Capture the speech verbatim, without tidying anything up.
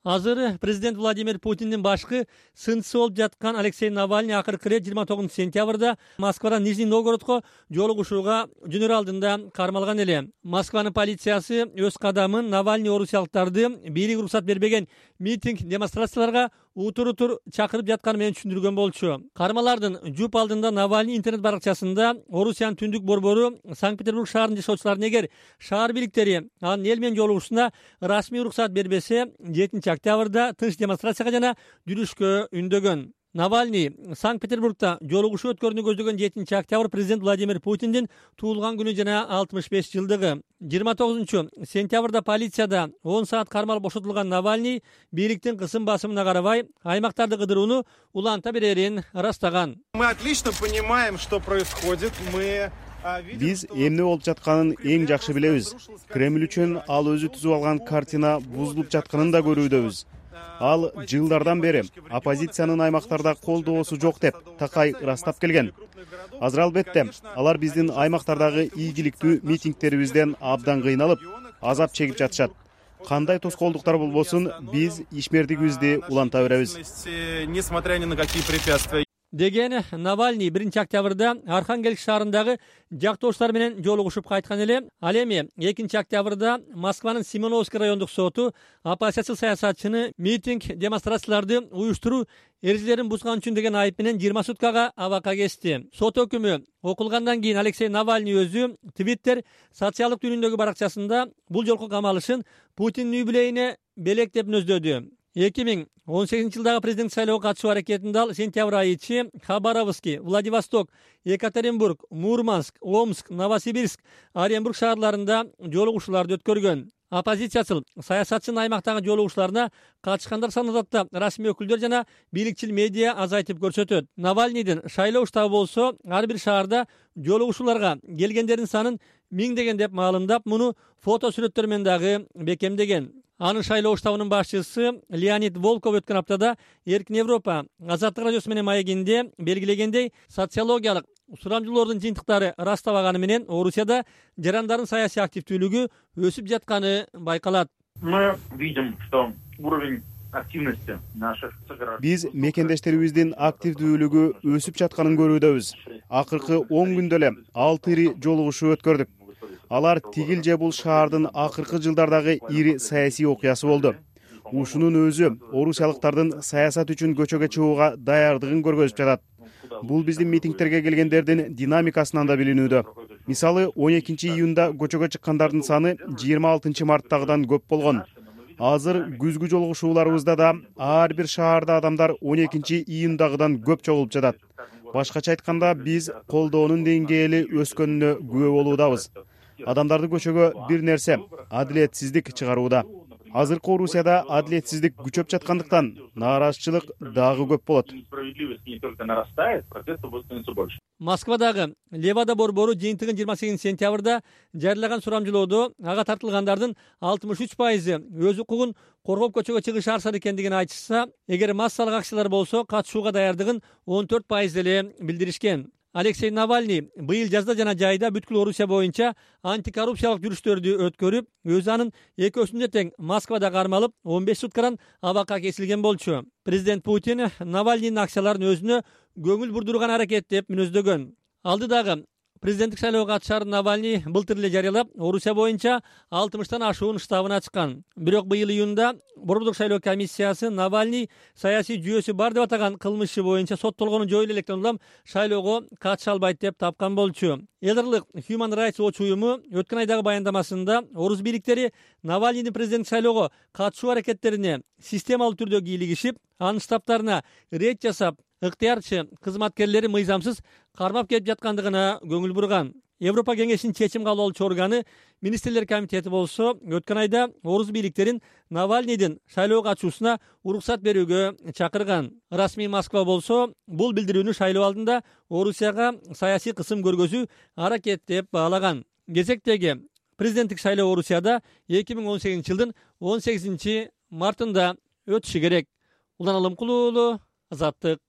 Азыр президент Владимир Путиндин башкы сынчысы болуп жаткан Алексей Навальный акыркы ирет жыйырма тогузунчу сентябрда Москвадан Нижний Новгородко жолугушууга жөнөр алдында кармалган эле. Москванын полициясы өз кадамын Навальный орусиялыктарды бийлик уруксат бербеген митинг демонстрацияларга утур-утур чакырып жатканы менен түшүндүргөн болчу. Кармалардын жуп алдында Навальный интернет баракчасында Орусиянын түндүк борбору Санкт-Петербург шаарынын жашоочуларына эгер шаар бийликтери анын эл менен жолугушуусуна расмий уруксат бербесе, жетинчи октябрда тынч демонстрацияга жана жүрүшкө үндөгөн. Навальный Санкт-Петербургда жолугушуу өткөрүүнү көздөгөн жетинчи октябрь президент Владимир Путиндин туулган күнү жана алтымыш беш жылдыгы. жыйырма тогузунчу сентябрда полицияда он саат кармалып бошотулган Навальный бийликтин кысым басымына карабай аймактарды кыдырууну уланта берерин ырастаган. Мы отлично понимаем, что происходит. Мы Биз эмне болуп жатканын эң жакшы билебиз. Кремль үчүн ал өзү түзүп алган картина бузулуп жатканын да көрүүдөбүз. Ал жылдардан бери оппозициянын аймактарда колдоосу жок деп такай ырастап келген. Азыр албетте алар биздин аймактардагы ийгиликтүү митингтерибизден абдан кыйналып, азап чегип жатышат. Кандай тоскоолдуктар болбосун, биз ишмердигибизди уланта беребиз. Несмотря ни на какие препятствия. Деген Навальный биринчи октябрда Архангельск шаарындагы жактоошулар менен жолугушуп кайткан эле. Ал эми экинчи октябрда Москванын Семеновский райондук соту оппозициячыл саясатчыны митинг демонстрацияларды уюштуруу эрежелерин бузган үчүн деген айып менен жыйырма суткага абакка кести. Сот өкүмү окулгандан кийин Алексей Навальный өзү Twitter социалдык түнүндөгү баракчасында бул жолку камалышын Путиндин үй бүлөйүнө белек деп нөздөдү. эки миң он сегизинчи жылдагы президент шайлоого катышуу аракетинде ал сентябрь айы ичи Хабаровский, Владивосток, Екатеринбург, Мурманск, Омск, Новосибирск, Оренбург шаарларында жолугушууларды өткөргөн. Оппозициячыл саясатчынын аймактагы жолугушууларына катышкандар санын да расмий өкүлдөр жана бийликчил медиа азайтып көрсөтөт. Навальныйдын шайлоо штабы болсо ар бир шаарда жолугушууларга келгендердин санын миңдеген деп маалымдап, муну фото сүрөттөр менен дагы бекемдеген. Анын шайлоо штабынын башчысы Леонид Волков өткөн аптада Эркин Европа Азаттык радиосу менен маегинде белгилегендей, социологиялык сурамжылоордун жыйынтыктары ырастабаганы менен Орусияда жарандардын саясий активдүүлүгү өсүп жатканы байкалат. Мы видим, что уровень активности наших сограждан. Биз мекендештерибиздин активдүүлүгү өсүп жатканын көрүүдөбүз. Акыркы он күндө эле алты ири жолугушуу өткөрдүк. Алар тигил же бул шаардын акыркы жылдардагы ири саясий окуясы болду. Ушунун өзү орусиялыктардын саясат үчүн көчөгө чыгууга даярдыгын көргөзүп жатат. Бул биздин митингтерге келгендердин динамикасынан да билинүүдө. Мисалы, он экинчи июнда көчөгө чыккандардын саны жыйырма алтынчы марттагыдан көп болгон. Азыр күзгү жолугушууларыбызда да ар бир шаарда адамдар он экинчи июндагыдан көп чогулуп жатат. Башкача айтканда, биз колдоонун деңгээли өскөнүнө күбө болуудабыз. Адамдарды көчөгө бир нерсе — адилетсиздик чыгарууда. Азыркы Орусияда адилетсиздик күчөп жаткандыктан нааразычылык дагы көп болот. Москвадагы Левада борбору жыйынтыгын жыйырма сегизинчи сентябрда жарыялаган сурамжылоодо ага тартылгандардын алтымыш үч пайызы өз укугун коргоп көчөгө чыгыш арзан экендигин айтышса, эгер массалык акциялар болсо катышууга даярдыгын он төрт пайыз эле билдиришкен. Алексей Навальный быйыл жазда жана жайда бүткүл Орусия боюнча антикоррупциялык жүрүштөрдү өткөрүп, өз анын экөөсүндө тең Москвада кармалып, он беш суткадан абакка кесилген болчу. Президент Путин Навальныйдын акцияларын өзүнө көңүл бурдурган аракет деп мүнөздөгөн. Алдыдагы президенттик шайлоого катышарын Навальный былтыр эле жарыялап, Орусия боюнча алтымыштан ашуун штабын ачкан. Бирок быйыл июнда Борбордук шайлоо комиссиясы Навальный саясий жүйөсү бар деп атаган кылмышы боюнча соттолгону жоюлу электен улам шайлоого катыша албайт деп тапкан болчу. Элдарлык Human Rights Watch уюму өткөн айдагы баяндамасында орус бийликтери Навальныйдын президенттик шайлоого катышуу аракеттерине системалуу түрдө кийлигишип, анын штабтарына рейд жасап, ыктыярчы кызматкерлери мыйзамсыз кармап келип жаткандыгына көңүл бурган. Европа кеңешинин чечим кабыл алуучу органы Министрлер комитети болсо өткөн айда орус бийликтерин Навальныйдын шайлоого катышуусуна уруксат берүүгө чакырган. Расмий Москва болсо бул билдирүүнү шайлоо алдында Орусияга саясий кысым көргөзүү аракет деп баалаган. Кезектеги президенттик шайлоо Орусияда эки миң он сегизинчи жылдын он сегизинчи мартында өтүшү керек. Улан Алымкулуу, Азаттык.